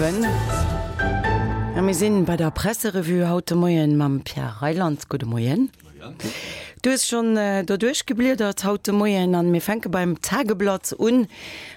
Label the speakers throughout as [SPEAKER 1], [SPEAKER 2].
[SPEAKER 1] 7. A mir sinn bei der Presserevue haut de Moien mam Pierre Reyland. Gudde Moien. Du hues schonn doduerch gebliedert haut de Moien an mir fänke beim Tageblatt un.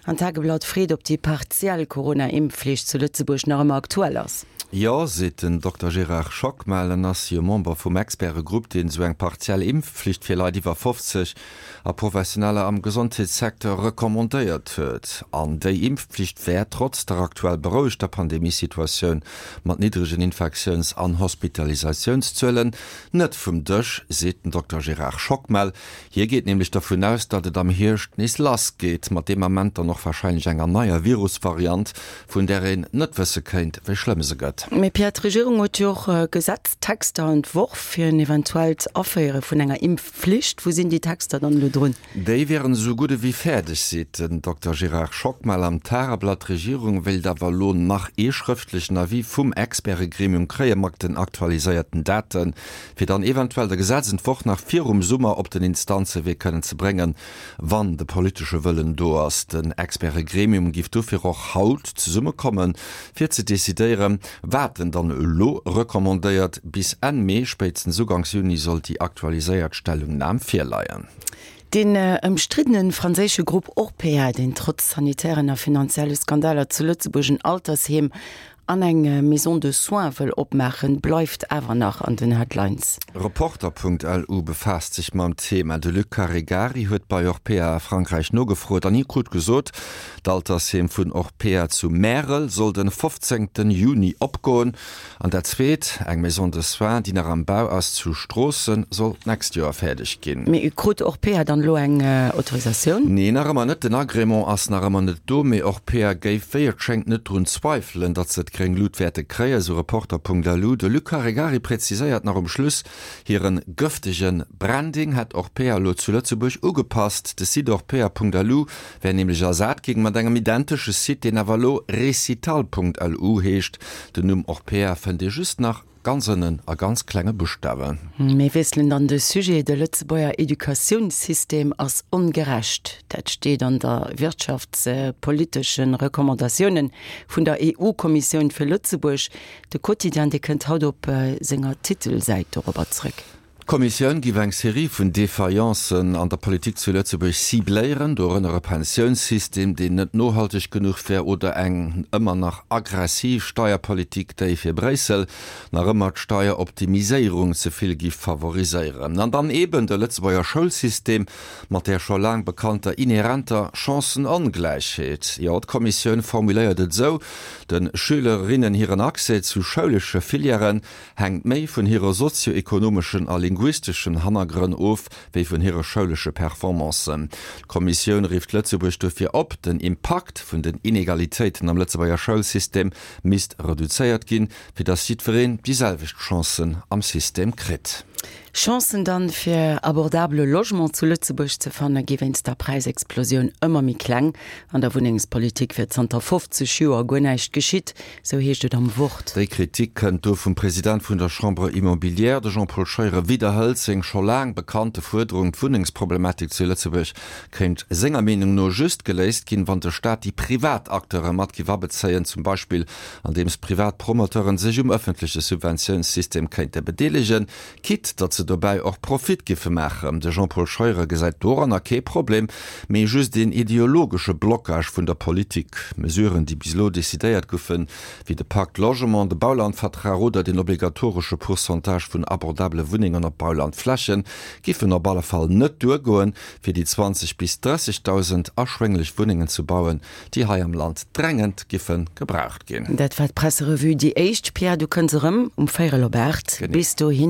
[SPEAKER 1] An d'Tageblatt freet, ob déi partiell Corona-Impfflicht zu Lëtzebuerg nach ëmmer aktuell ass.
[SPEAKER 2] Jo, seet den Dokter Gérard Schockmel. En ass jo Member vum Expertegrupp, deen esou eng partiell Impfflicht fir Leit iwwer 50 a Professioneller am Gesondheetssecteur recommandéiert huet. An déi Impfpflicht wär, trotz der aktuell berouegter Pandemiesituatioun mat niddregen Infektiouns an Hospitalisatiounszuelen, net vum Dësch, seet den Dokter Gérard Schockmel. Hie geet nämlech dervun aus, datt et am Hierscht nees lass geet, mat deem Ament dann och warscheinlech enger neier Virusvariant, vun där een net wësse kéint, wéi schlëmm se gëtt.
[SPEAKER 1] Mee Pierre, d'Regierung huet jo och Gesetztexter entworf fir en eventuellt Aféiere vun enger Impfflicht. Wou sinn déi Texter dann elo drun?
[SPEAKER 2] Déi wieren esou gutt ewéi fäerdeg, seet den Dokter Gérard Schockmel am Tageblatt. D'Regierung wéilt awer elo nach ee schrëftlechen Avis vum Expertegremium kréie mat den aktualiséierten Daten, fir dann eventuell de Gesetzentworf nach virum Summer op den Instanzewee kënnen ze bréngen, wann de politesche Wëllen do ass. Den Expertegremium giff dofir och haut zesummekommen, fir ze decidéieren, wat en dann elo recommandéiert. Bis Enn Mee, spéitstens Uganks Juni sollt déi aktualiséiert Stellungnam virleien.
[SPEAKER 1] Deen ëmstriddene franséische Grupp Orpea, deen trotz sanitären a finanzielle Skandaler zu Lëtzebuerg en Altersheem an eng Maison de soins wëll opmaachen, bleift awer nach an den Headlines.
[SPEAKER 2] Reporter.lu befaasst sech mam Thema. De Luc Caregari huet bei Orpea a Frankräich nogefrot an hie krut gesot, d'Altersheem vun Orpea zu Märel soll den 15 Juni opgoen. An dat zweet, eng Maison de soins, déi nach am Bau ass zu Stroossen, soll d'nächst Joer fäerdeg ginn.
[SPEAKER 1] Mee krut Orpea dann elo eng Autorisatioun?
[SPEAKER 2] Nee, nach ëmmer net. Den Agrément ass nach ëmmer net do, mee Orpea géif, wéi et schéngt, net drun zweifelen, datt se d'gréng Lut wäerte kréien, sou Reporter.lu. De Luc Caregari präziséiert nach um Schluss, Hiren gëftege Branding hätt Orpea elo zu Lëtzebuerg ugepasst. De Site orpea.lu wär nämlech ersat ginn mat engem identesche Site, deen awer elo recital.lu heescht. Den Numm Orpea fënnt ee just nach ganz ënnen a ganz klenge Buschtawen.
[SPEAKER 1] Mir wiesselen dann de Sujet, De Lëtzebuerger Educatiounssystem ass ongerecht. Dat steet an der wirtschaftspolitesche Recommandatiounen vun der EU-Kommissioun fir Lëtzebuerg. De Quotidien, dee kënnt haut op senger Titelsäit dorobber zréck.
[SPEAKER 2] D'Kommissioun giff eng Serie vun Défaillances an der Politik zu Lëtzebuerg cibléieren, dorënner e Pensiounssystem, deen net nohalteg genuch wär, oder eng ëmmer nach aggressiv Steierpolitik, déi fir Bréissel nach ëmmer d'Steieroptimiséierung ze vill giff favoriséieren. An dann eben de Lëtzebuerger Schoulsystem mat där scho laang bekannter inhärenter Chancenongläichheet. Jo, d'Kommissioun formuléiert et esou, De Schülerinnen hiren Accès zu schoulesche Filièren hänkt méi vun hire sozio-ekonomeschen a linguisteschen Hannergrënn of, wéi vun hire schoulesche Performancen. D'Kommissioun rifft Lëtzebuerg dofir op, den Impakt vun den Inegalitéiten am Lëtzebuerger Schoulsystem misst reduzéiert ginn, fir datt jiddwereen déi selwecht Chancen am System kritt.
[SPEAKER 1] Chancen dann, fir abordabele Logement zu Lëtzebuerg ze fanne gi wéinst der Präisexplosioun ëmmer méi kleng. An der Wunnengspolitik wier zanter 50 Joer guer näischt geschitt, Sou heescht et am Wort.
[SPEAKER 2] Déi Kritik kënnt do vum President vun der Chambre immobilière. De Jean-Paul Scheuren widderhëlt seng scho laang bekannte Fuerderung, d'Wunnengsproblematik zu Lëtzebuerg kéint senger Meenung no just geléist ginn, wann de Staat déi privat Acteure mat giff abezéien, zum Beispill andeems privat Promoteuren sech um ëffentleche Subventiounssystem kéinte bedeelegen. Quitte datt se dobäi och Profit giffe maachen. De Jean-Paul Scheuren gesäit doranner kee Problem, mee just een ideologesche Blockage vun der Politik. Mesuren, déi bis elo decidéiert goufen, wéi de Pacte Logement, de Baulandvertrag oder den obligatoresche Pourcentage vun abordabele Wunnengen op Baulandflächen, giffen op alle Fall net duergoen, fir déi 20 bis 30.000 erschwénglech Wunnengen ze bauen, déi hei am Land drängend giffe gebraucht ginn.
[SPEAKER 1] Dat war d'Presserevue, déi éischt. Pierre, du kënns erëm um véierel op 8. Bis dohinner.